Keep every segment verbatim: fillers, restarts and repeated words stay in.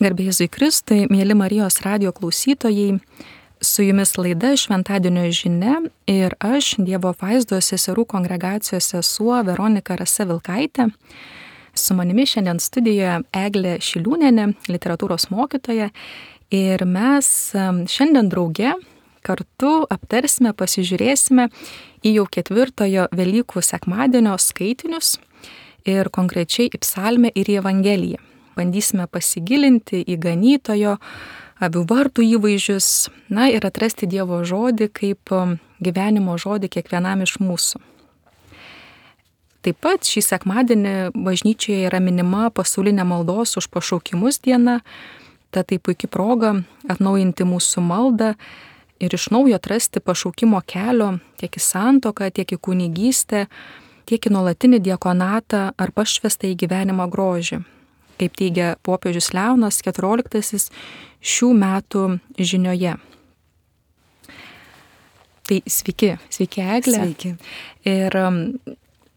Garbė Jėzui Kristui, mėly Marijos radijo klausytojai, su jumis laida Šventadienio žinia ir aš, Dievo apvaizdos seserų kongregacijos sesuo Veronika Rasa Vilkaitė. Su manimi šiandien studijoje Eglė Šiliūnienė, literatūros mokytoja, ir mes šiandien drauge kartu aptarsime, pasižiūrėsime į jau ketvirtojo Velykų sekmadienio skaitinius ir konkrečiai į psalmę ir į Evangeliją. Bandysime pasigilinti į ganytojo, avių vartų įvaizdžius, na ir atrasti Dievo žodį kaip gyvenimo žodį kiekvienam iš mūsų. Taip pat šį sekmadienį bažnyčioje yra minima pasaulinė maldos už pašaukimus diena, tad tai puikia proga atnaujinti mūsų maldą ir iš naujo atrasti pašaukimo kelio tiek į santuoką, tiek į kunigystę, tiek į nuolatinį diakonatą ar pašvestą į gyvenimo grožį, kaip teigia popiežius Leonas keturioliktasis šių metų žinioje. Tai sveiki, sveiki Eglė. Sveiki. Ir,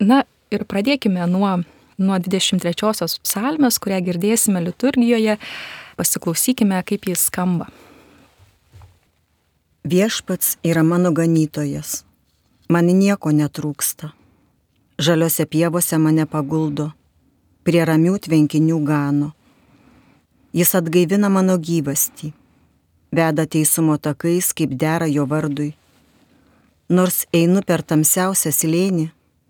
na, ir pradėkime nuo, nuo dvidešimt trečiosios psalmės, kurią girdėsime liturgijoje. Pasiklausykime, kaip jis skamba. Viešpats yra mano ganytojas, man nieko netrūksta. Žaliose pievose mane paguldo, prie ramių tvenkinių gano. Jis atgaivina mano gyvastį, veda teisumo takais, kaip dera jo vardui. Nors einu per tamsiausią slėnį,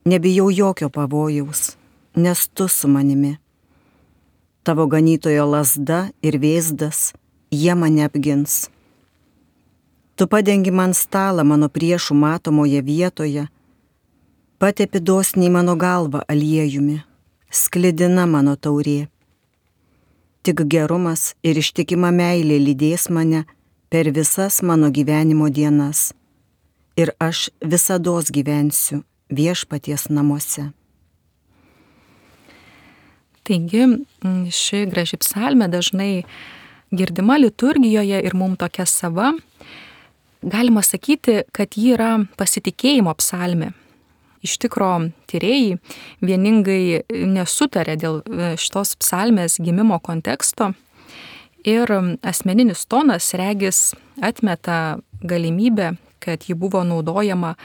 nebijau jokio pavojaus, nes tu su manimi. Tavo ganytojo lazda ir vėzdas, jie mane apgins. Tu padengi man stalą mano priešų matomoje vietoje, patepi dosniai mano galvą aliejumi, sklidina mano taurė. Tik gerumas ir ištikima meilė lydės mane per visas mano gyvenimo dienas, ir aš visados gyvensiu viešpaties namuose. Taigi, ši graži psalmė dažnai girdima liturgijoje ir mums tokia sava. Galima sakyti, kad ji yra pasitikėjimo psalmė. Iš tikro, tyrėjai vieningai nesutarė dėl šitos psalmės gimimo konteksto ir asmeninis tonas regis atmeta galimybę, kad ji buvo naudojama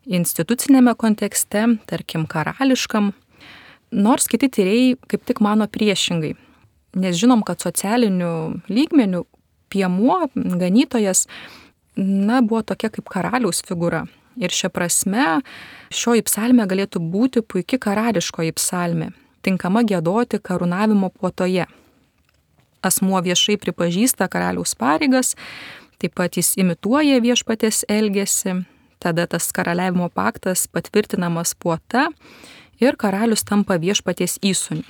institucinėme kontekste, tarkim karališkam, nors kiti tyrėjai kaip tik mano priešingai, nes žinom, kad socialiniu lygmeniu piemuo, ganytojas, na, buvo tokia kaip karaliaus figūra. Ir šia prasme šioji psalmė galėtų būti puiki karališkoji psalmė, tinkama giedoti karūnavimo puotoje. Asmuo viešai pripažįsta karaliaus pareigas, taip pat jis imituoja viešpaties elgesį, tada tas karaliavimo paktas patvirtinamas puota ir karalius tampa viešpaties įsūniu.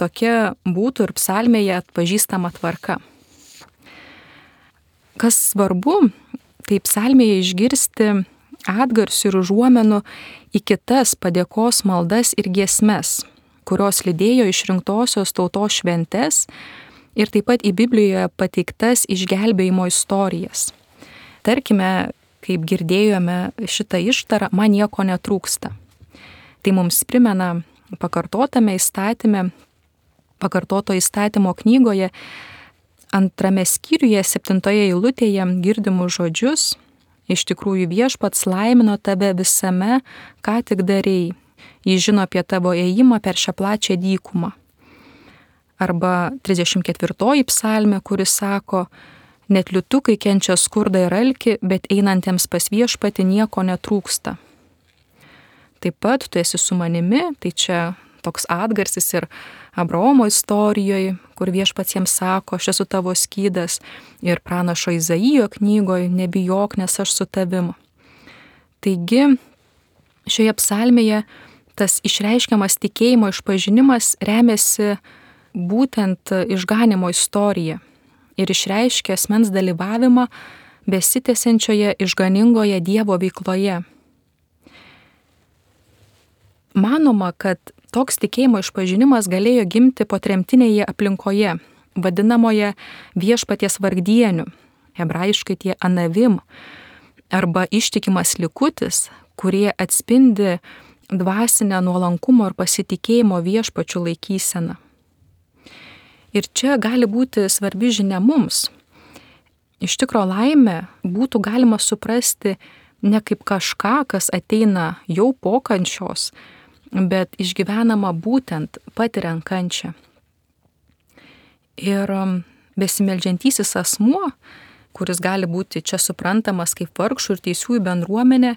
Tokia būtų ir psalmėje atpažįstama tvarka. Kas svarbu, tai psalmėje išgirsti atgarsių ir užuomenų į kitas padėkos maldas ir giesmes, kurios lydėjo išrinktosios tautos šventes ir taip pat į Biblijoje pateiktas išgelbėjimo istorijas. Tarkime, kaip girdėjome šitą ištarą, man nieko netrūksta. Tai mums primena pakartotame įstatyme, pakartoto įstatymo knygoje, antrame skyriuje, septintoje eilutėje girdimus žodžius: iš tikrųjų viešpats laimino tave visame, ką tik darei. Jis žino apie tavo ėjimą per šią plačią dykumą. Arba trisdešimt ketvirtoji psalmė, kuris sako: net liūtukai kenčia skurdą ir alkį, bet einantiems pas viešpatį nieko netrūksta. Taip pat tu esi su manimi, tai čia toks atgarsis ir Abraomo istorijoje, kur viešpats jiems sako, aš esu tavo skydas, ir pranašo Izaijo knygoje, nebijok, nes aš su tavim. Taigi, šioje psalmėje tas išreiškiamas tikėjimo išpažinimas remiasi būtent išganimo istorija ir išreiškia asmens dalyvavimą besitęsiančioje išganingoje Dievo veikloje. Manoma, kad toks tikėjimo išpažinimas galėjo gimti potremtinėje aplinkoje, vadinamoje viešpaties vargdieniu, hebrajiškai tie anavim, arba ištikimas likutis, kurie atspindi dvasinę nuolankumo ir pasitikėjimo viešpačių laikyseną. Ir čia gali būti svarbi žinia mums. Iš tikro laimę būtų galima suprasti ne kaip kažką, kas ateina jau po kančios, bet išgyvenama būtent patiriant kančią. Ir besimeldžiantysis asmuo, kuris gali būti čia suprantamas kaip vargšų ir teisiųjų bendruomenė,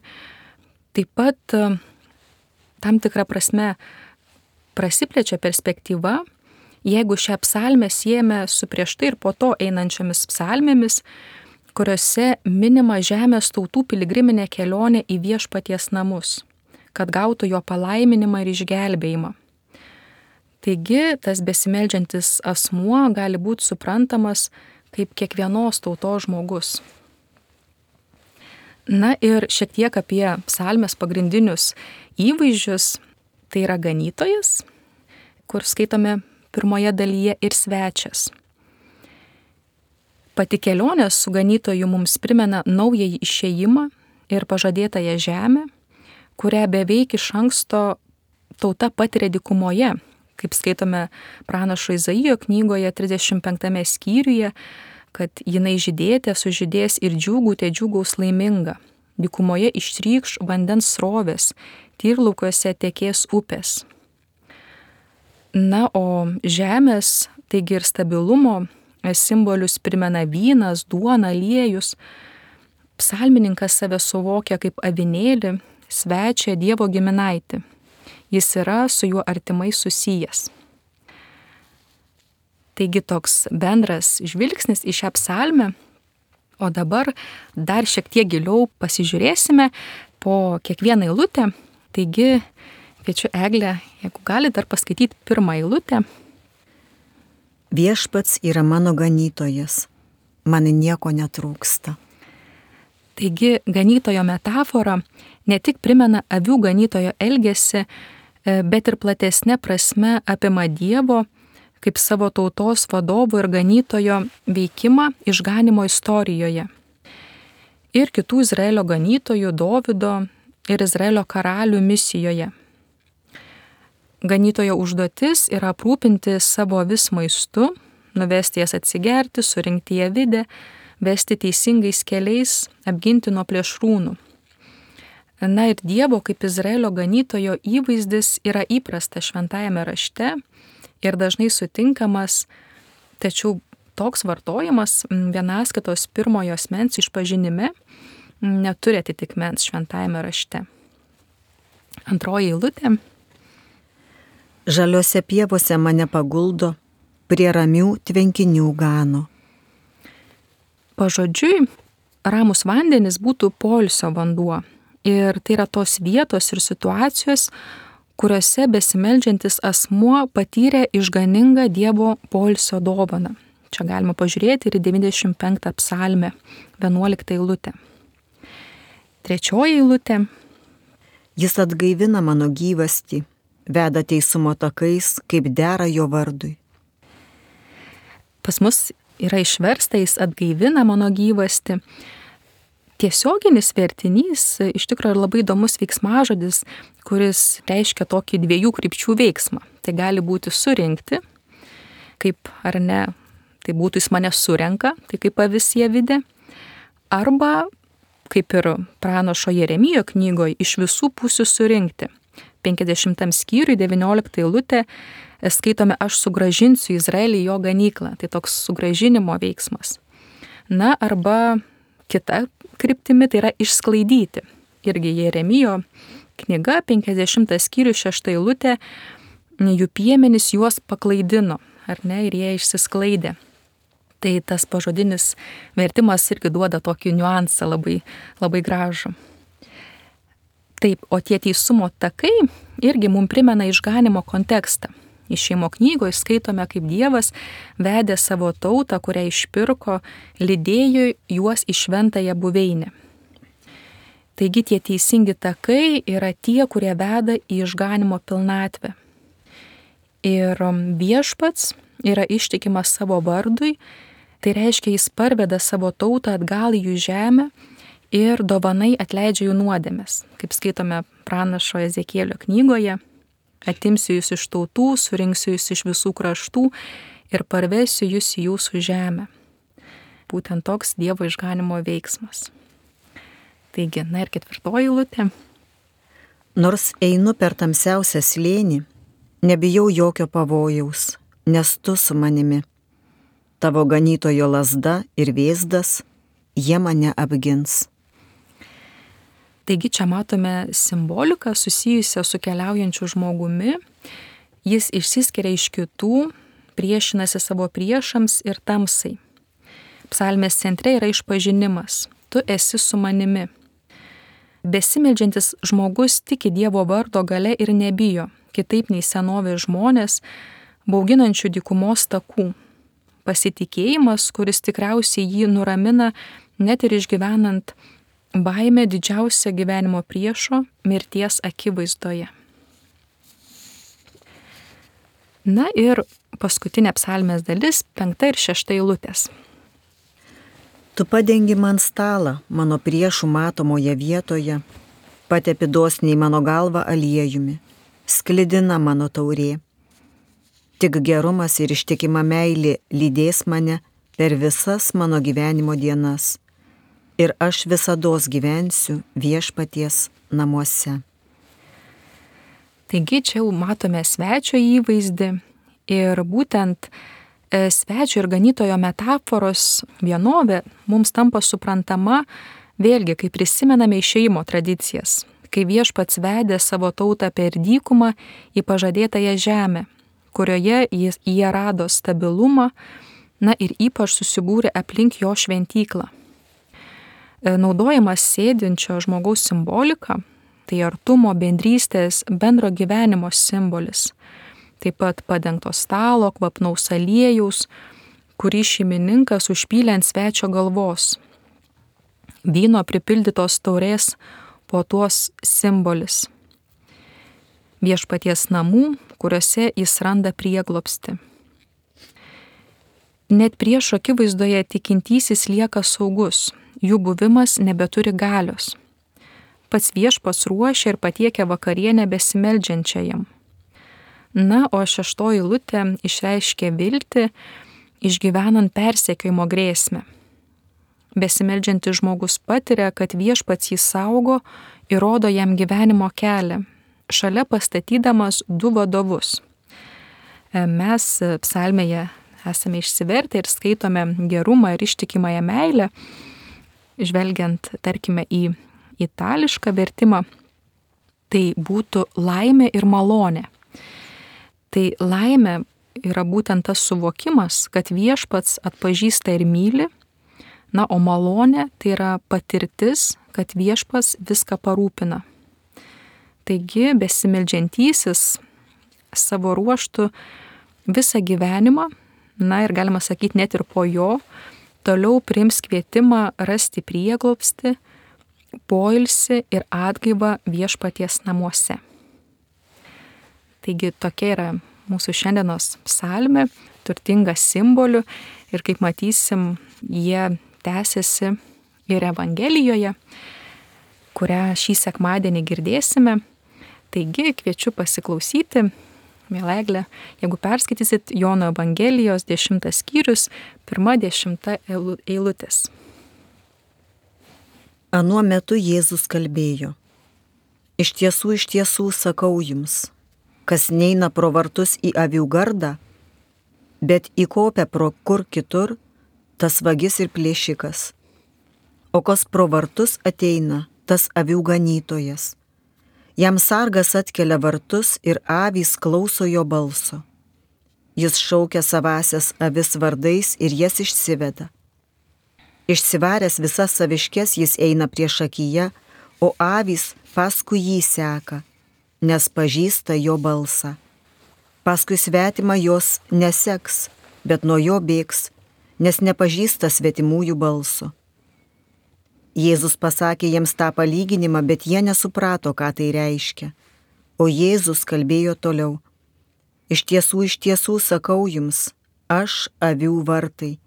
taip pat tam tikrą prasme prasiplečia perspektyva, jeigu šią psalmę siejame su prieš tai ir po to einančiomis psalmėmis, kuriuose minima žemės tautų piligriminė kelionė į viešpaties namus, kad gautų jo palaiminimą ir išgelbėjimą. Taigi tas besimeldžiantis asmuo gali būti suprantamas kaip kiekvienos tautos žmogus. Na ir šiek tiek apie psalmės pagrindinius įvaizdžius. Tai yra ganytojas, kur skaitome pirmoje dalyje, ir svečias. Pati kelionė su ganytoju mums primena naująjį išėjimą ir pažadėtąją žemę, kurią beveik iš anksto tauta patiria dykumoje, kaip skaitome pranašo Izaijo knygoje trisdešimt penktame skyriuje, kad jinai žydėte sužydės ir džiūgūtė džiūgaus laiminga. Dykumoje ištrykš vandens srovės, tyrlaukiuose tekės upės. Na, o žemės, taigi ir stabilumo simbolius primena vynas, duona, aliejus. Psalmininkas save suvokia kaip avinėlį, svečią, Dievo giminaitį. Jis yra su juo artimai susijęs. Taigi toks bendras žvilgsnis į šią psalmę. O dabar dar šiek tiek giliau pasižiūrėsime po kiekvieną eilutę. Taigi, kviečiu Eglę, jeigu gali dar paskaityti pirmą eilutę. Viešpats yra mano ganytojas, man nieko netrūksta. Taigi, ganytojo metafora ne tik primena avių ganytojo elgesį, bet ir platesnė prasme apima Dievo kaip savo tautos vadovo ir ganytojo veikimą išganimo istorijoje. Ir kitų Izraelio ganytojų, Dovydo ir Izraelio karalių misijoje. Ganytojo užduotis yra aprūpinti savo avis maistu, nuvesti jas atsigerti, surinkti ją vidę, vesti teisingais keliais, apginti nuo plėšrūnų. Na ir Dievo kaip Izraelio ganytojo įvaizdis yra įprastas šventajame rašte ir dažnai sutinkamas, tačiau toks vartojimas vienaskaitos pirmojo asmens išpažinime neturi atitikmens šventajame rašte. Antroji eilutė. Žaliose pievose mane paguldo, prie ramių tvenkinių gano. Pažodžiui, ramus vandenys būtų poilsio vanduo. Ir tai yra tos vietos ir situacijos, kuriuose besimeldžiantis asmuo patyrė išganingą Dievo poilsio dovaną. Čia galima pažiūrėti ir į devyniasdešimt penktą psalmę, vienuoliktą eilutę. Trečioji eilutė. Jis atgaivina mano gyvastį, veda teisumo takais, kaip dera jo vardui. Pas mus yra išversta, jis atgaivina mano gyvastį. Tiesioginis vertinys iš tikrųjų yra labai įdomus veiksmažodis, kuris reiškia tokį dviejų krypčių veiksmą. Tai gali būti surinkti, kaip ar ne, tai būtų jis mane surenka, tai kaip avis ją vidė, arba kaip ir pranašo Jeremijo knygoje iš visų pusių surinkti. penkiasdešimtam skyriui, devynioliktą eilutę, skaitome, aš sugražinsiu Izraelį jo ganyklą. Tai toks sugražinimo veiksmas. Na, arba kita kryptimi, tai yra išsklaidyti. Irgi Jeremijo knyga, penkiasdešimtas skyrius, šešta eilutė, jų piemenys juos paklaidino, ar ne, ir jie išsisklaidė. Tai tas pažodinis vertimas irgi duoda tokį niuansą labai, labai gražų. Taip, o tie teisumo takai irgi mums primena išganimo kontekstą. Išėjimo knygoje skaitome, kaip Dievas vedė savo tautą, kurią išpirko, lydėjo juos į šventąją buveinę. Taigi tie teisingi takai yra tie, kurie veda į išganimo pilnatvę. Ir viešpats yra ištikimas savo vardui, tai reiškia, jis parveda savo tautą atgal į jų žemę ir dovanai atleidžia jų nuodėmes. Kaip skaitome pranašo Ezekielio knygoje, atimsiu jūs iš tautų, surinksiu jūs iš visų kraštų ir parvesiu jūs į jūsų žemę. Būtent toks Dievo išganimo veiksmas. Taigi, na ir ketvirtoji eilutė. Nors einu per tamsiausią slėnį, nebijau jokio pavojaus, nes tu su manimi. Tavo ganytojo lazda ir vėzdas, jie mane apgins. Taigi čia matome simboliką susijusią su keliaujančiu žmogumi. Jis išsiskiria iš kitų, priešinasi savo priešams ir tamsai. Psalmės centre yra išpažinimas. Tu esi su manimi. Besimeldžiantis žmogus tiki Dievo vardo gale ir nebijo, kitaip nei senovės žmonės, bauginančių dykumos takų. Pasitikėjimas, kuris tikriausiai jį nuramina net ir išgyvenant baimę didžiausią gyvenimo priešo mirties akivaizdoje. Na ir paskutinė psalmės dalis, penkta ir šešta eilutės. Tu padengi man stalą mano priešų matomoje vietoje, patepi dosniai mano galvą aliejumi, sklidina mano taurė. Tik gerumas ir ištikima meilė lydės mane per visas mano gyvenimo dienas. Ir aš visados gyvensiu viešpaties namuose. Taigi čia jau matome svečio įvaizdį ir būtent svečio ir ganytojo metaforos vienovė mums tampa suprantama vėlgi, kai prisimename išėjimo tradicijas, kai Viešpats vedė savo tautą per dykumą į pažadėtąją žemę, kurioje jie rado stabilumą, na ir ypač susibūrė aplink jo šventyklą. Naudojamas sėdinčio žmogaus simbolika, tai artumo, bendrystės, bendro gyvenimo simbolis. Taip pat padengto stalo, kvapnaus aliejaus, kurį šeimininkas užpylė ant svečio galvos. Vyno pripildytos taurės puotos simbolis. Viešpaties namų, kuriuose jis randa prieglobstį. Net priešo akivaizdoje tikintysis lieka saugus. Jų buvimas nebeturi galios. Pats Viešpats ruošia ir patiekia vakarienę besimeldžiančiajam. Na, o šeštoji eilutė išreiškia viltį, išgyvenant persekiojimo grėsmę. Besimeldžiantis žmogus patiria, kad Viešpats jį saugo ir rodo jam gyvenimo kelią, šalia pastatydamas du vadovus. Mes psalmėje esame išsivertę ir skaitome gerumą ir ištikimąją meilę. Žvelgiant, tarkime, į itališką vertimą, tai būtų laimė ir malonė. Tai laimė yra būtent tas suvokimas, kad Viešpats atpažįsta ir myli, na, o malonė tai yra patirtis, kad Viešpats viską parūpina. Taigi, besimeldžiantysis savo ruožtu visą gyvenimą, na ir galima sakyti net ir po jo, toliau priims kvietimą rasti prieglobstį, poilsį ir atgaivą Viešpaties namuose. Taigi tokia yra mūsų šiandienos psalmė, turtinga simbolių ir kaip matysim, jie tęsiasi ir Evangelijoje, kurią šį sekmadienį girdėsime. Taigi kviečiu pasiklausyti. Miela Egle, jeigu perskaitysit Jono Evangelijos dešimtas skyrius, pirma dešimta eilutės. Anuo metu Jėzus kalbėjo. Iš tiesų, iš tiesų sakau jums, kas neina pro vartus į avių gardą, bet įkopia pro kur kitur, tas vagis ir plėšikas. O kas pro vartus ateina, tas avių ganytojas. Jam sargas atkelia vartus ir avys klauso jo balso. Jis šaukia savasias avis vardais ir jas išsiveda. Išsivaręs visas saviškes jis eina priešakyje, o avys paskui jį seka, nes pažįsta jo balsą. Paskui svetimą jos neseks, bet nuo jo bėgs, nes nepažįsta svetimųjų balso. Jėzus pasakė jiems tą palyginimą, bet jie nesuprato, ką tai reiškia. O Jėzus kalbėjo toliau. Iš tiesų, iš tiesų sakau jums, aš avių vartai.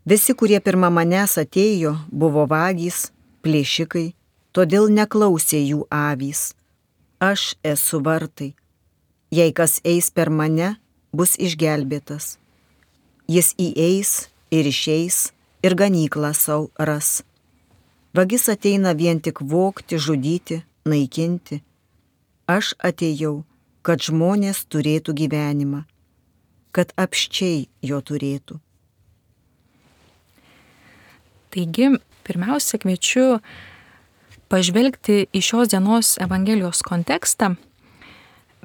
Visi, kurie pirma manęs atėjo, buvo vagys, plėšikai, todėl neklausė jų avys. Aš esu vartai. Jei kas eis per mane, bus išgelbėtas. Jis įeis ir išeis ir ganyklą savo ras. Vagis ateina vien tik vogti, žudyti, naikinti. Aš atėjau, kad žmonės turėtų gyvenimą, kad apsčiai jo turėtų. Taigi, pirmiausia, kviečiu pažvelgti į šios dienos Evangelijos kontekstą.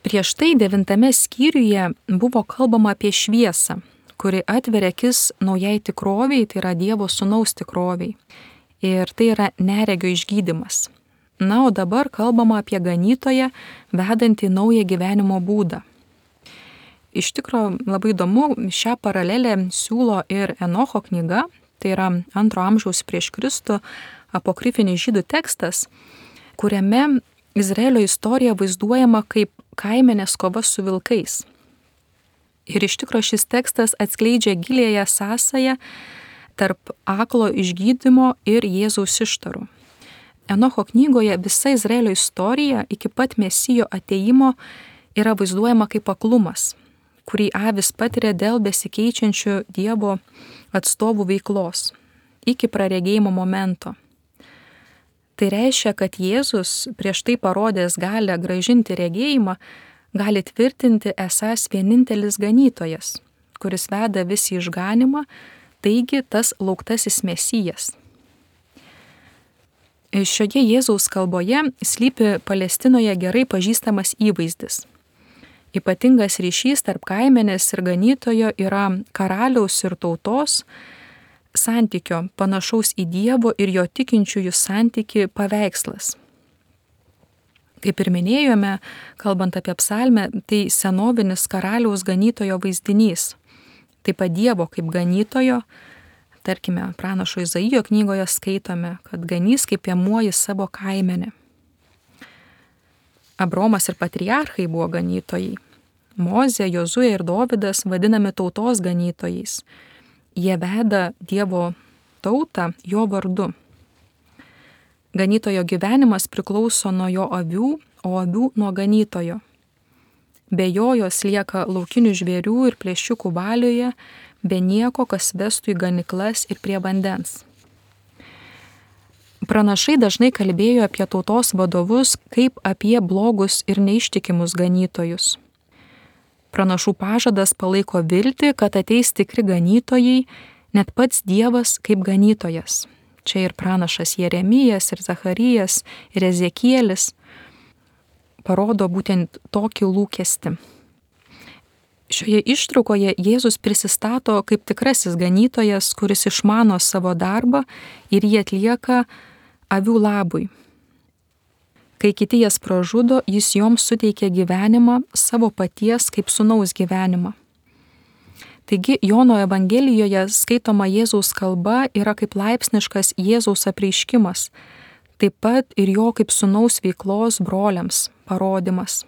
Prieš tai devintame skyriuje buvo kalbama apie šviesą, kuri atveria akis naujai tikroviai, tai yra Dievo Sūnaus tikroviai. Ir tai yra neregio išgydymas. Na, o dabar kalbama apie ganytoją, vedantį naują gyvenimo būdą. Iš tikrųjų, labai įdomu, šią paralelę siūlo ir Enocho knyga, tai yra antro amžiaus prieš Kristų apokrifinis žydų tekstas, kuriame Izraelio istorija vaizduojama kaip kaimenės kova su vilkais. Ir iš tikrųjų šis tekstas atskleidžia gilėją sąsają tarp aklo išgydymo ir Jėzaus ištarų. Enocho knygoje visa Izraelio istorija iki pat Mesijo atėjimo yra vaizduojama kaip aklumas, kurį avis patiria dėl besikeičiančių Dievo atstovų veiklos iki praregėjimo momento. Tai reiškia, kad Jėzus prieš tai parodęs galę grąžinti regėjimą, gali tvirtinti esąs vienintelis ganytojas, kuris veda visi išganimą, taigi tas lauktasis Mesijas. Šioje Jėzaus kalboje slypi Palestinoje gerai pažįstamas įvaizdis. Ypatingas ryšys tarp kaimenės ir ganytojo yra karaliaus ir tautos santykio, panašaus į Dievo ir jo tikinčiųjų santyki paveikslas. Kaip ir minėjome, kalbant apie psalmę, tai senovinis karaliaus ganytojo vaizdinys. Taip pat Dievo kaip ganytojo, tarkime, pranašo Izaijo knygoje skaitome, kad ganys kaip piemuoji savo kaimenę. Abromas ir patriarchai buvo ganytojai. Mozė, Jozuė ir Dovydas vadinami tautos ganytojais. Jie veda Dievo tautą jo vardu. Ganytojo gyvenimas priklauso nuo jo avių, o avių nuo ganytojo. Be jo jos lieka laukinių žvėrių ir plėšikų valioje, be nieko, kas vestų į ganyklas ir prie vandens. Pranašai dažnai kalbėjo apie tautos vadovus kaip apie blogus ir neištikimus ganytojus. Pranašų pažadas palaiko viltį, kad ateis tikri ganytojai, net pats Dievas kaip ganytojas. Čia ir pranašas Jeremijas, ir Zacharijas, ir Ezekielis parodo būtent tokį lūkestį. Šioje ištraukoje Jėzus prisistato kaip tikrasis ganytojas, kuris išmano savo darbą ir jį atlieka avių labui. Kai kiti jas pražudo, jis joms suteikia gyvenimą, savo paties kaip sūnaus gyvenimą. Taigi Jono Evangelijoje skaitoma Jėzaus kalba yra kaip laipsniškas Jėzaus apreiškimas, taip pat ir jo kaip sūnaus veiklos broliams parodymas.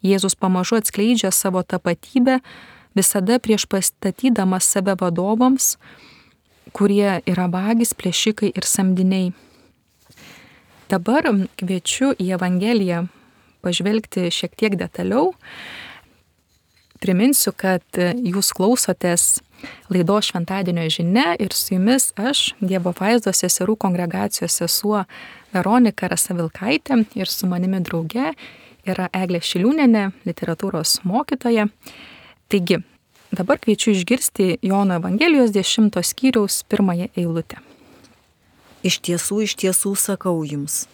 Jėzus pamažu atskleidžia savo tapatybę, visada prieš pastatydamas save vadovams, kurie yra vagys, plėšikai ir samdiniai. Dabar kviečiu į Evangeliją pažvelgti šiek tiek detaliau. Priminsiu, kad jūs klausotės laidos Šventadienio žinia ir su jumis aš, Dievo vaizdo seserų kongregacijos sesuo Veronika Rasavilkaitė ir su manimi drauge yra Eglė Šiliūnienė, literatūros mokytoja. Taigi, dabar kviečiu išgirsti Jono Evangelijos dešimto skyriaus pirmąją eilutę. Iš tiesų, iš tiesų sakau jums,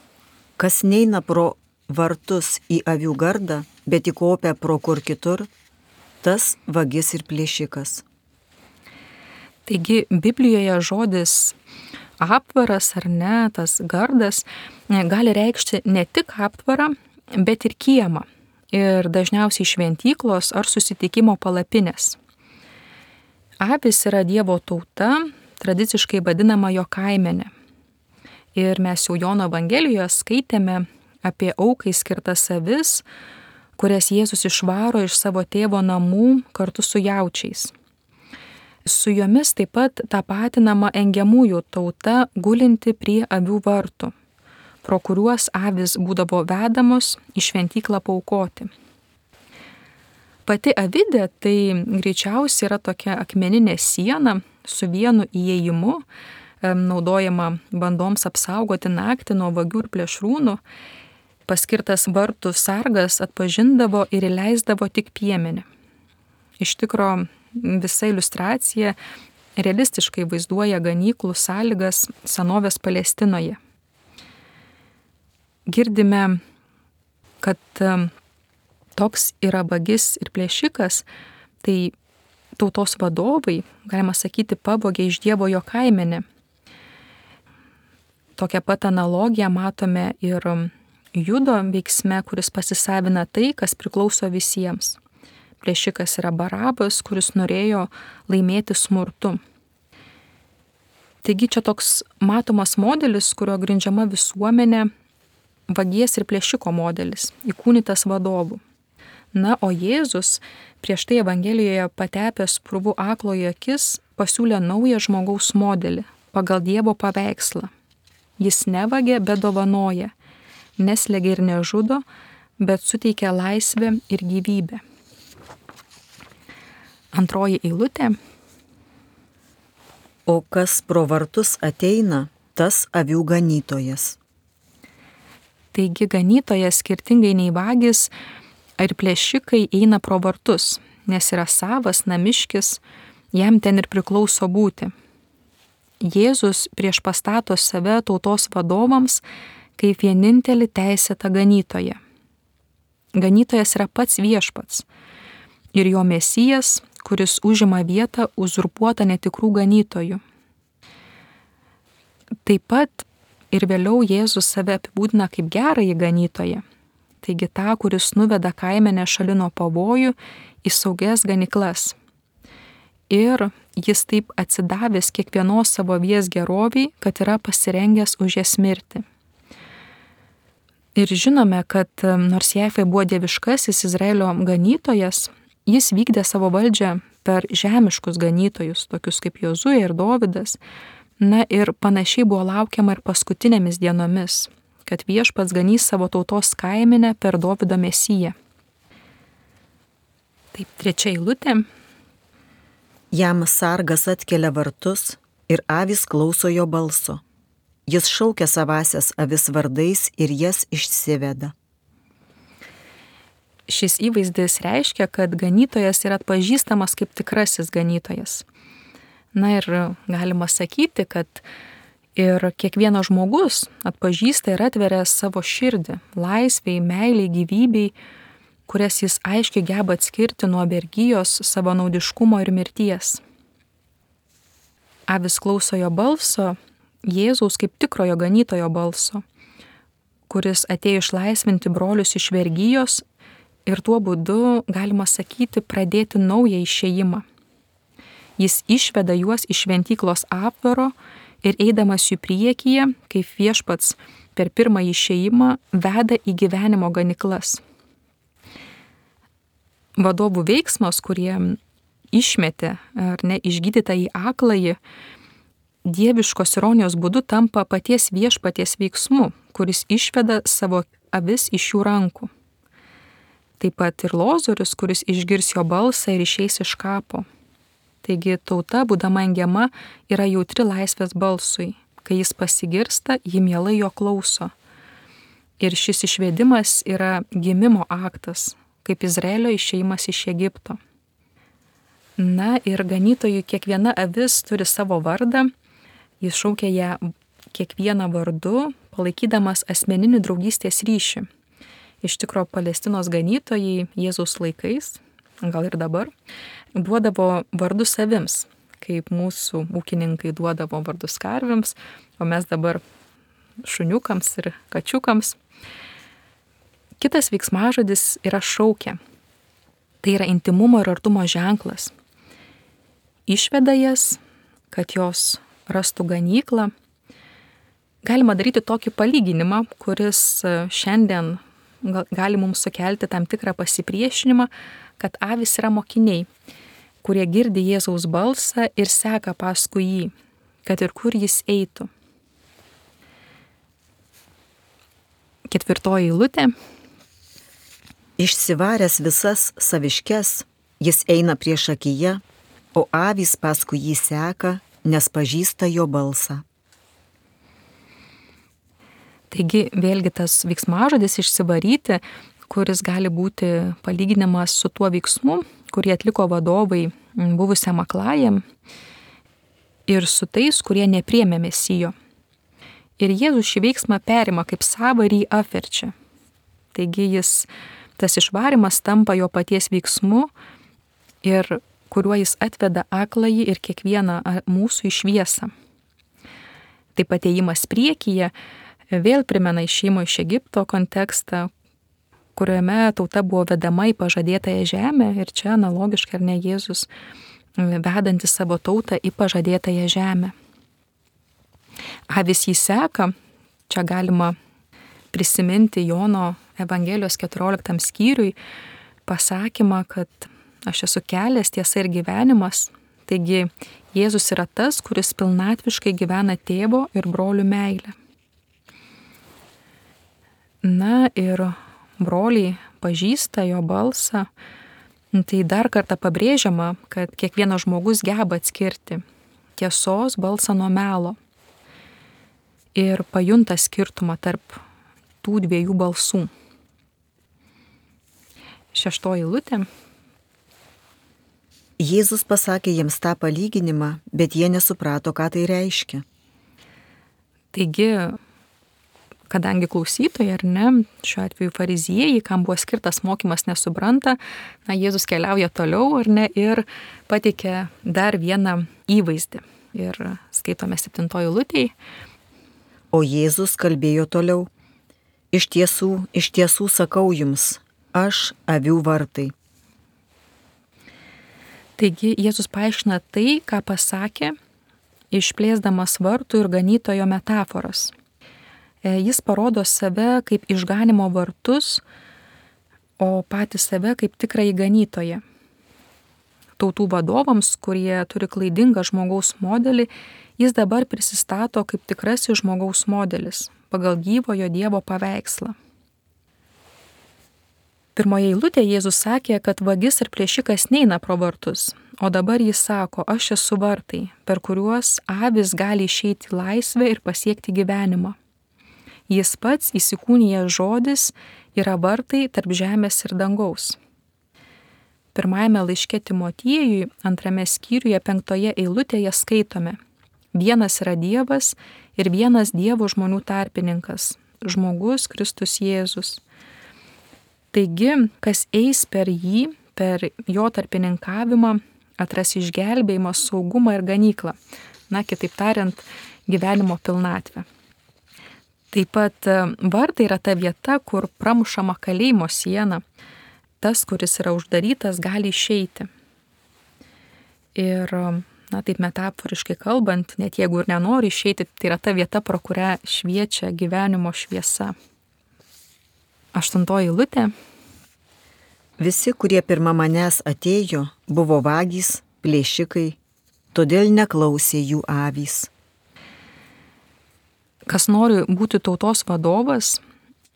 kas neina pro vartus į avių gardą, bet įkopia pro kur kitur, tas vagis ir plėšikas. Taigi Biblijoje žodis aptvaras ar ne, tas gardas, gali reikšti ne tik aptvarą, bet ir kiemą. Ir dažniausiai šventyklos ar susitikimo palapinės. Avis yra Dievo tauta, tradiciškai vadinama jo kaimenė. Ir mes jau Jono Evangelijoje skaitėme apie aukai skirtas avis, kurias Jėzus išvaro iš savo tėvo namų kartu su jaučiais. Su jomis taip pat tapatinama engiamųjų tauta gulinti prie avių vartų, pro kuriuos avis būdavo vedamos į šventyklą paaukoti. Pati avidė tai greičiausiai yra tokia akmeninė siena su vienu įėjimu, naudojama bandoms apsaugoti naktį nuo vagių ir plėšrūnų. Paskirtas vartų sargas atpažindavo ir įleisdavo tik piemenį. Iš tikro visa iliustracija realistiškai vaizduoja ganyklų sąlygas senovės Palestinoje. Girdime, kad toks yra vagis ir plėšikas, tai tautos vadovai, galima sakyti, pavogė iš Dievo jo kaimenę. Tokią pat analogiją matome ir Judo veiksme, kuris pasisavina tai, kas priklauso visiems. Plėšikas yra Barabas, kuris norėjo laimėti smurtu. Taigi čia toks matomas modelis, kurio grindžiama visuomenė, vagies ir plėšiko modelis, įkūnytas vadovų. Na, o Jėzus prieš tai Evangelijoje patepęs purvų aklojo akis pasiūlė naują žmogaus modelį pagal Dievo paveikslą. Jis nevagia, bet dovanoja, neslegia ir nežudo, bet suteikia laisvę ir gyvybę. Antroji eilutė. O kas pro vartus ateina, tas avių ganytojas. Taigi ganytojas skirtingai nei vagis ar plėšikai eina pro vartus, nes yra savas, namiškis, jam ten ir priklauso būti. Jėzus prieš pastato save tautos vadovams kaip vienintelį teisėtą ganytoją. Ganytojas yra pats viešpats ir jo mesijas, kuris užima vietą uzurpuotą netikrų ganytojų. Taip pat ir vėliau Jėzus save apibūdina kaip gerąjį ganytoją, taigi tą, kuris nuveda kaimenę šalino pavojų į saugias ganyklas. Ir jis taip atsidavęs kiekvienos savo avies geroviai, kad yra pasirengęs už jas mirti. Ir žinome, kad nors Jahvė buvo dieviškasis Izraelio ganytojas, jis vykdė savo valdžią per žemiškus ganytojus, tokius kaip Jozuė ir Dovydas. Na ir panašiai buvo laukiama ir paskutinėmis dienomis, kad viešpats ganys savo tautos kaimenę per Dovydo mesiją. Taip, trečia eilutė. Jam sargas atkelia vartus ir avys klauso jo balso. Jis šaukia savasias avis vardais ir jas išsiveda. Šis įvaizdis reiškia, kad ganytojas yra atpažįstamas kaip tikrasis ganytojas. Na ir galima sakyti, kad ir kiekvienas žmogus atpažįsta ir atveria savo širdį, laisvei, meiliai, gyvybei, kurias jis aiškiai geba atskirti nuo vergijos, savanaudiškumo ir mirties. Avis klauso jo balso, Jėzaus kaip tikrojo ganytojo balso, kuris atėjo išlaisvinti brolius iš vergijos ir tuo būdu, galima sakyti, pradėti naują išėjimą. Jis išveda juos iš šventyklos aptvaro ir eidamas jų priekyje, kaip viešpats per pirmąjį išėjimą, veda į gyvenimo ganyklas. Vadovų veiksmas, kurie išmetė ar ne išgydytą į akląjį, dieviškos ironijos būdu tampa paties viešpaties veiksmu, kuris išveda savo avis iš jų rankų. Taip pat ir Lozorius, kuris išgirs jo balsą ir išeis iš kapo. Taigi tauta, būdama engiama, yra jautri laisvės balsui. Kai jis pasigirsta, ji mielai jo klauso. Ir šis išvedimas yra gimimo aktas, kaip Izraelio išėjimas iš Egipto. Na ir ganytojui kiekviena avis turi savo vardą, jis šaukia ją kiekvieną vardu, palaikydamas asmeninį draugystės ryšį. Iš tikro Palestinos ganytojai Jėzaus laikais, gal ir dabar, duodavo vardus avims, kaip mūsų ūkininkai duodavo vardus karvėms, o mes dabar šuniukams ir kačiukams. Kitas veiksmažodis yra šaukia. Tai yra intimumo ir artumo ženklas. Išveda jas, kad jos rastų ganyklą. Galima daryti tokį palyginimą, kuris šiandien gali mums sukelti tam tikrą pasipriešinimą, kad avys yra mokiniai, kurie girdi Jėzaus balsą ir seka paskui jį, kad ir kur jis eitų. Ketvirtoji eilutė. Išsivaręs visas saviškes, jis eina priešakyje, o avys paskui jį seka, nes pažįsta jo balsą. Taigi vėlgi tas veiksmažodis išsivaryti, kuris gali būti palyginimas su tuo veiksmu, kurį atliko vadovai buvusiam aklajam ir su tais, kurie nepriėmė Mesijo. Ir Jėzus šį veiksmą perima kaip savą ir jį apverčia. Taigi jis, tas išvarimas tampa jo paties veiksmu ir kuriuo jis atveda akląjį ir kiekvieną mūsų į šviesą. Taip pat ėjimas priekyje vėl primena išėjimo iš Egipto kontekstą, kuriame tauta buvo vedama į pažadėtąją žemę ir čia analogiškai ar ne Jėzus vedanti savo tautą į pažadėtąją žemę. Avys jį seka, čia galima prisiminti Jono Evangelijos keturioliktam skyriui pasakymą, kad aš esu kelias, tiesa ir gyvenimas. Taigi Jėzus yra tas, kuris pilnatviškai gyvena tėvo ir brolių meilę. Na ir broliai pažįsta jo balsą. Tai dar kartą pabrėžiama, kad kiekvienas žmogus geba atskirti tiesos balsą nuo melo ir pajunta skirtumą tarp tų dviejų balsų. Šeštoji eilutė. Jėzus pasakė jiems tą palyginimą, bet jie nesuprato, ką tai reiškia. Taigi, kadangi klausytojai, ar ne, šiuo atveju fariziejai, kam buvo skirtas mokymas, nesupranta, na, Jėzus keliauja toliau, ar ne, ir pateikia dar vieną įvaizdį. Ir skaitome septintoji eilutėje. O Jėzus kalbėjo toliau. Iš tiesų, iš tiesų sakau jums, aš avių vartai. Taigi Jėzus paaiškina tai, ką pasakė, išplėsdamas vartų ir ganytojo metaforas. Jis parodo save kaip išganimo vartus, o patį save kaip tikrąjį ganytoją. Tautų vadovams, kurie turi klaidingą žmogaus modelį, jis dabar prisistato kaip tikrasis žmogaus modelis pagal gyvojo Dievo paveikslą. Pirmoje eilutėje Jėzus sakė, kad vagis ir plėšikas neina pro vartus, o dabar jis sako, aš esu vartai, per kuriuos avis gali išeiti į laisvę ir pasiekti gyvenimą. Jis pats įsikūnijęs žodis yra vartai tarp žemės ir dangaus. Pirmajame laiške Timotiejui, antrame skyriuje, penktoje eilutėje skaitome: vienas yra Dievas ir vienas Dievo žmonių tarpininkas, žmogus Kristus Jėzus. Taigi, kas eis per jį, per jo tarpininkavimą, atras išgelbėjimą, saugumą ir ganyklą. Na, kitaip tariant, gyvenimo pilnatvę. Taip pat vartai yra ta vieta, kur pramušama kalėjimo siena. Tas, kuris yra uždarytas, gali išeiti. Ir, na, taip metaforiškai kalbant, net jeigu ir nenori išeiti, tai yra ta vieta, pro kurią šviečia gyvenimo šviesa. Aštuntoji eilutė. Visi, kurie pirma manęs atėjo, buvo vagys, plėšikai, todėl neklausė jų avys. Kas nori būti tautos vadovas,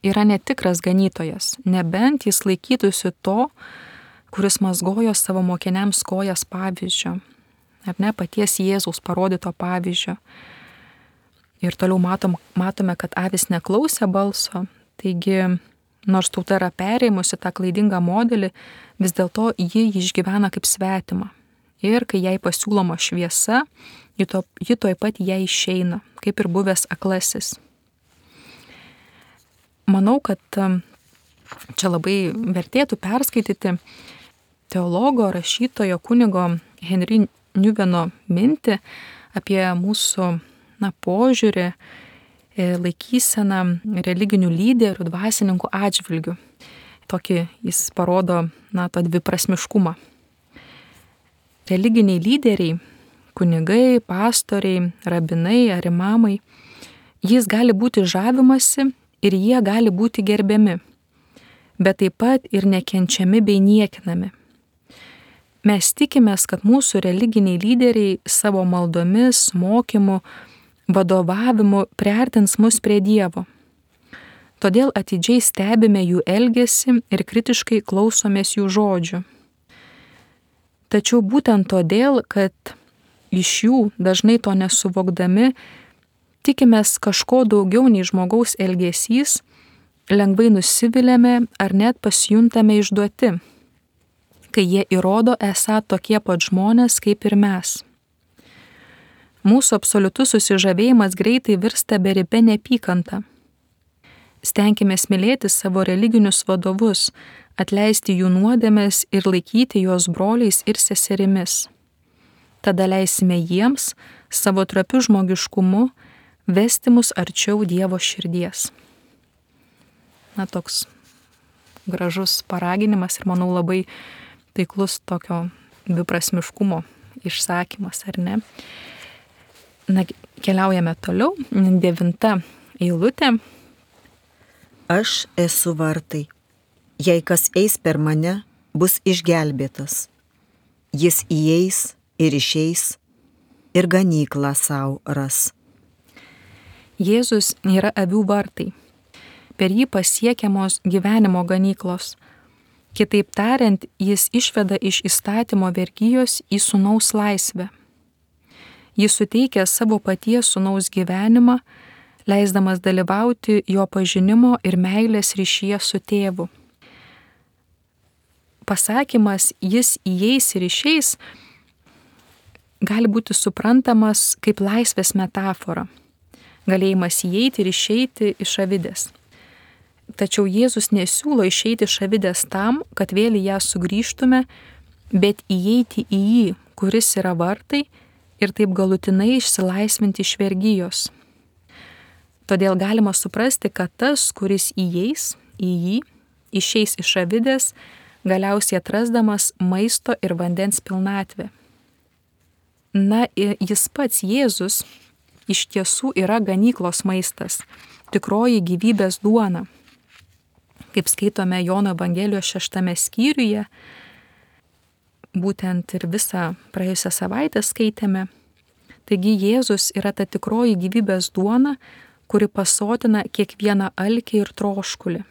yra netikras ganytojas, nebent jis laikytųsi to, kuris mazgojo savo mokiniams kojas pavyzdžio, ar ne paties Jėzaus parodyto pavyzdžio. Ir toliau matom, matome, kad avis neklausė balso, taigi nors tauta yra perėmusi tą klaidingą modelį, vis dėlto ji jį išgyvena kaip svetimą. Ir kai jai pasiūloma šviesa, ji, to, ji toj pat jai išeina, kaip ir buvęs aklasis. Manau, kad čia labai vertėtų perskaityti teologo, rašytojo, kunigo Henry Newmano mintį apie mūsų na, požiūrį, laikyseną religinių lyderių, dvasininkų atžvilgių. Tokį jis parodo, na, tą dviprasmiškumą. Religiniai lyderiai, kunigai, pastoriai, rabinai ar imamai, jais gali būti žavimasi ir jie gali būti gerbiami, bet taip pat ir nekenčiami bei niekinami. Mes tikimės, kad mūsų religiniai lyderiai savo maldomis, mokymu, vadovavimu priartins mus prie Dievo. Todėl atidžiai stebime jų elgesį ir kritiškai klausomės jų žodžių. Tačiau būtent todėl, kad iš jų dažnai to nesuvokdami, tikimės kažko daugiau nei žmogaus elgesys, lengvai nusiviliame ar net pasijuntame išduoti, kai jie įrodo esą tokie pat žmonės kaip ir mes. Mūsų absoliutus susižavėjimas greitai virsta beribė neapykanta. Stenkimės mylėti savo religinius vadovus, atleisti jų nuodėmes ir laikyti juos broliais ir seserimis. Tada leisime jiems, savo trapiu žmogiškumu, vesti mus arčiau Dievo širdies. Na, toks gražus paraginimas ir manau labai taiklus tokio dviprasmiškumo išsakymas, ar ne? Na, keliaujame toliau. Devinta eilutė. Aš esu vartai. Jei kas eis per mane, bus išgelbėtas. Jis įeis ir išeis ir ganyklą savo ras. Jėzus yra avių vartai. Per jį pasiekiamos gyvenimo ganyklos. Kitaip tariant, jis išveda iš įstatymo vergijos į sūnaus laisvę. Jis suteikia savo paties sūnaus gyvenimą, leisdamas dalyvauti jo pažinimo ir meilės ryšyje su tėvu. Pasakymas jis įeis ir išeis gali būti suprantamas kaip laisvės metafora, galėjimas įeiti ir išeiti iš avidės. Tačiau Jėzus nesiūlo išeiti iš avidės tam, kad vėl į ją sugrįžtume, bet įeiti į jį, kuris yra vartai, ir taip galutinai išsilaisvinti iš vergijos. Todėl galima suprasti, kad tas, kuris įeis į jį, išeis iš avidės, galiausiai atrasdamas maisto ir vandens pilnatvę. Na, jis pats Jėzus iš tiesų yra ganyklos maistas, tikroji gyvybės duona. Kaip skaitome Jono Evangelijos šeštame skyriuje, būtent ir visą praėjusią savaitę skaitėme. Taigi Jėzus yra ta tikroji gyvybės duona, kuri pasotina kiekvieną alkį ir troškulį.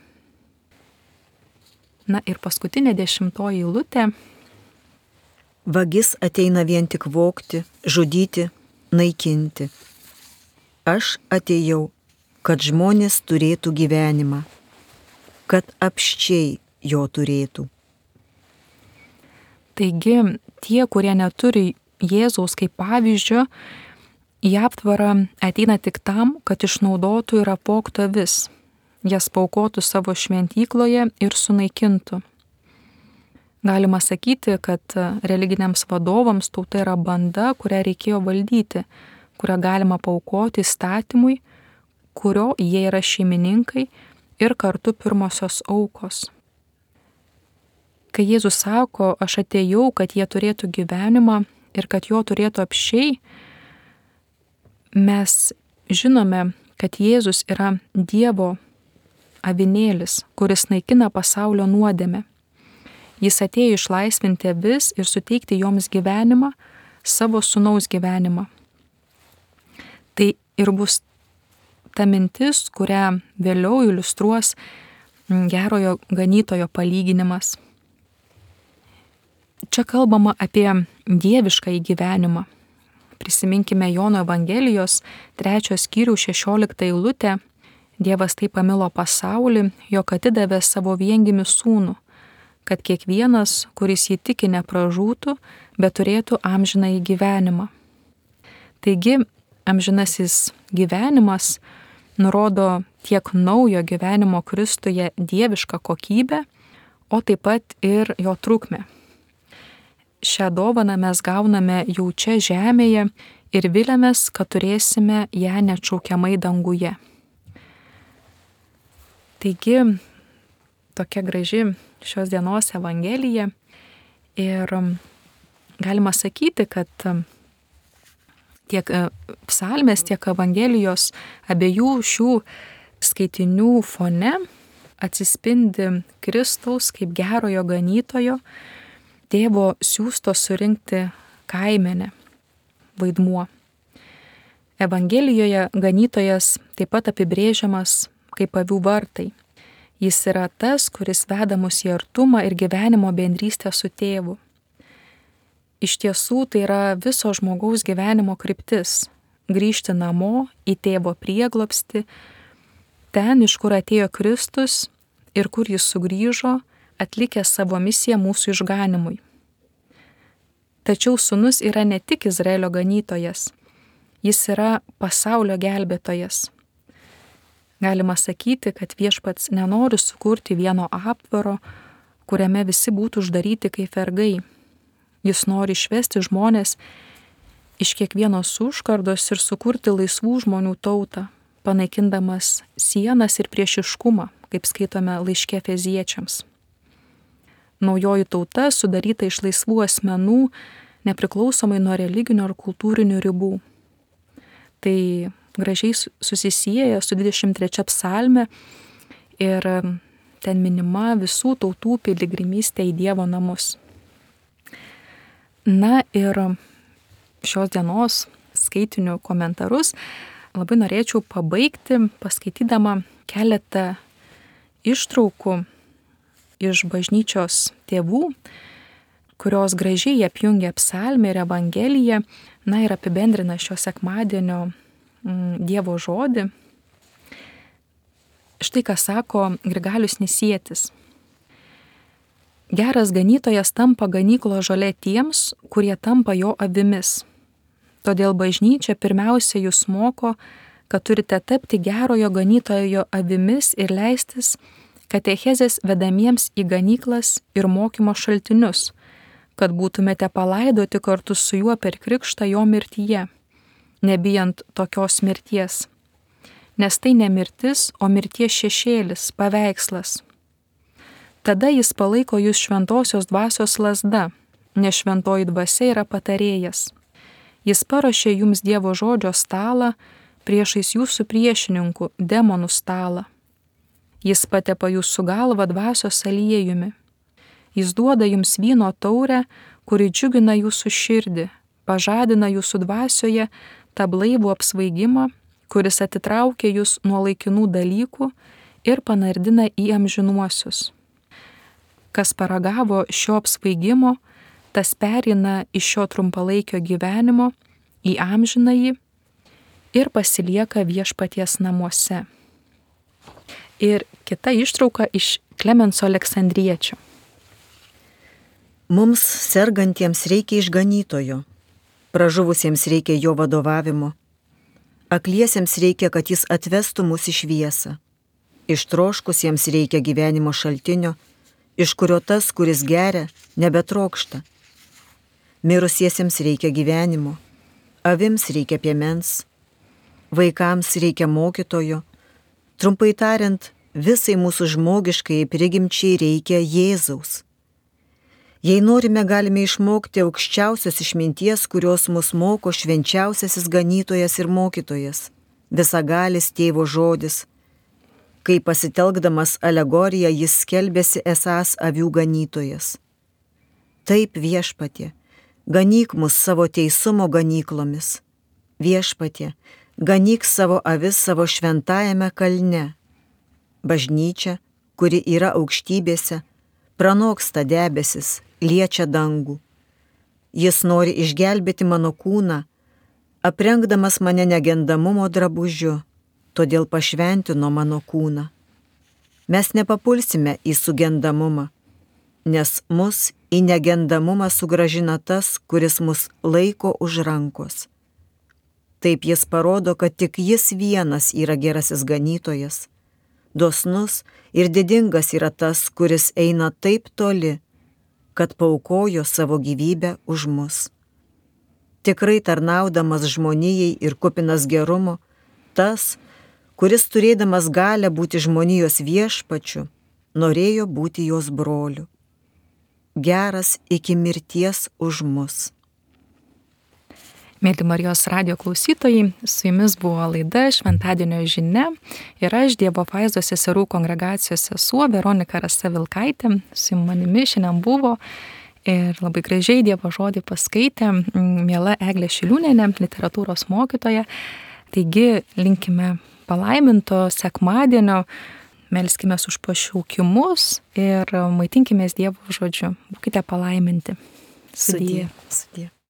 Na ir paskutinė dešimtoji eilutė. Vagis ateina vien tik vogti, žudyti, naikinti. Aš atėjau, kad žmonės turėtų gyvenimą, kad apsčiai jo turėtų. Taigi tie, kurie neturi Jėzaus kaip pavyzdžio, į aptvarą ateina tik tam, kad išnaudotų ir apvogtų avis, jas paaukotų savo šventykloje ir sunaikintų. Galima sakyti, kad religiniams vadovams tauta yra banda, kurią reikėjo valdyti, kurią galima paaukoti įstatymui, kurio jie yra šeimininkai ir kartu pirmosios aukos. Kai Jėzus sako, aš atėjau, kad jie turėtų gyvenimą ir kad jo turėtų apsčiai, mes žinome, kad Jėzus yra Dievo avinėlis, kuris naikina pasaulio nuodėmę. Jis atėjo išlaisvinti avis ir suteikti joms gyvenimą, savo sūnaus gyvenimą. Tai ir bus ta mintis, kurią vėliau iliustruos gerojo ganytojo palyginimas. Čia kalbama apie dieviškąjį gyvenimą. Prisiminkime Jono Evangelijos trečios skyriaus šešioliktą eilutę. Dievas taip pamilo pasaulį, jog atidavė savo viengimį sūnų, kad kiekvienas, kuris jį tiki, nepražūtų, bet turėtų amžinąjį gyvenimą. Taigi, amžinasis gyvenimas nurodo tiek naujo gyvenimo Kristuje dievišką kokybę, o taip pat ir jo trukmę. Šią dovaną mes gauname jau čia žemėje ir viliamės, kad turėsime ją neatšaukiamai danguje. Taigi, tokia graži šios dienos Evangelija ir galima sakyti, kad tiek psalmės, tiek Evangelijos abiejų šių skaitinių fone atsispindi Kristaus kaip gerojo ganytojo, tėvo siųsto surinkti kaimenę vaidmuo. Evangelijoje ganytojas taip pat apibrėžiamas kaip avių vartai. Jis yra tas, kuris veda mus į artumą ir gyvenimo bendrystę su tėvu. Iš tiesų tai yra viso žmogaus gyvenimo kryptis - grįžti namo į tėvo prieglobstį, ten, iš kur atėjo Kristus ir kur jis sugrįžo, atlikęs savo misiją mūsų išganimui. Tačiau sūnus yra ne tik Izraelio ganytojas, jis yra pasaulio gelbėtojas. Galima sakyti, kad viešpats nenori sukurti vieno aptvaro, kuriame visi būtų uždaryti kaip vergai. Jis nori išvesti žmonės iš kiekvienos užkardos ir sukurti laisvų žmonių tautą, panaikindamas sienas ir priešiškumą, kaip skaitome laiške Efeziečiams. Naujoji tauta sudaryta iš laisvų asmenų, nepriklausomai nuo religinių ar kultūrinių ribų. Tai gražiai susisieja su dvidešimt trečia psalme ir ten minima visų tautų piligrimystė į Dievo namus. Na ir šios dienos skaitinių komentarus labai norėčiau pabaigti paskaitydama keletą ištraukų iš bažnyčios tėvų, kurios gražiai apjungia psalmę ir evangeliją, na ir apibendrina šio sekmadienio Dievo žodį. Štai ką sako Grigalius Nisietis. Geras ganytojas tampa ganyklo žolė tiems, kurie tampa jo avimis. Todėl bažnyčia pirmiausia jūs moko, kad turite tapti gerojo ganytojo avimis ir leistis katechezės vedamiems į ganyklas ir mokymo šaltinius, kad būtumėte palaidoti kartu su juo per krikštą jo mirtyje, nebijant tokios mirties. Nes tai ne mirtis, o mirties šešėlis, paveikslas. Tada jis palaiko jūs šventosios dvasios lazda, nes šventoji dvasia yra patarėjas. Jis paruošė jums Dievo žodžio stalą priešais jūsų priešininkų demonų stalą. Jis patepa jūsų galvą dvasios aliejumi. Jis duoda jums vyno taurę, kuri džiugina jūsų širdį, pažadina jūsų dvasioje tą blaivų apsvaigimą, kuris atitraukia jūs nuo laikinų dalykų ir panardina į amžinuosius. Kas paragavo šio apsvaigimo, tas pereina iš šio trumpalaikio gyvenimo į amžinąjį ir pasilieka viešpaties namuose. Ir kita ištrauka iš Klemenso Aleksandriečio. Mums sergantiems reikia išganytojo, pražuvusiems reikia jo vadovavimo, akliesiems reikia, kad jis atvestų mus į šviesą, ištroškusiems reikia gyvenimo šaltinio, iš kurio tas, kuris geria, nebetrokšta. Mirusiesiems reikia gyvenimo, avims reikia piemens, vaikams reikia mokytojo, trumpai tariant, visai mūsų žmogiškai prigimčiai reikia Jėzaus. Jei norime, galime išmokti aukščiausios išminties, kurios mus moko švenčiausiasis ganytojas ir mokytojas, visagalis tėvo žodis. Kai pasitelkdamas alegoriją jis skelbėsi esąs avių ganytojas. Taip, viešpatie, ganyk mus savo teisumo ganyklomis. Viešpatie, ganyk savo avis savo šventajame kalne. Bažnyčia, kuri yra aukštybėse, pranoksta debesis, liečia dangų. Jis nori išgelbėti mano kūną, aprengdamas mane negendamumo drabužiu, todėl pašventino mano kūną. Mes nepapulsime į sugendamumą, nes mus į negendamumą sugrąžina tas, kuris mus laiko už rankos. Taip jis parodo, kad tik jis vienas yra gerasis ganytojas. Dosnus ir didingas yra tas, kuris eina taip toli, kad paaukojo savo gyvybę už mus. Tikrai tarnaudamas žmonijai ir kupinas gerumo, tas, kuris turėdamas galę būti žmonijos viešpačiu, norėjo būti jos broliu. Geras iki mirties už mus. Mėly Marijos radijo klausytojai, su jumis buvo laida Šventadienio žinia ir aš Dievo apvaizdos seserų kongregacijos sesuo Veronika Rasa Vilkaitė. Su manimi šiandien buvo ir labai gražiai Dievo žodį paskaitė miela Eglė Šiliūnienė, literatūros mokytoja. Taigi linkime palaiminto sekmadienio. Melskimės už pašaukimus ir maitinkimės Dievo žodžiu. Būkite palaiminti. Sudie. Sudie.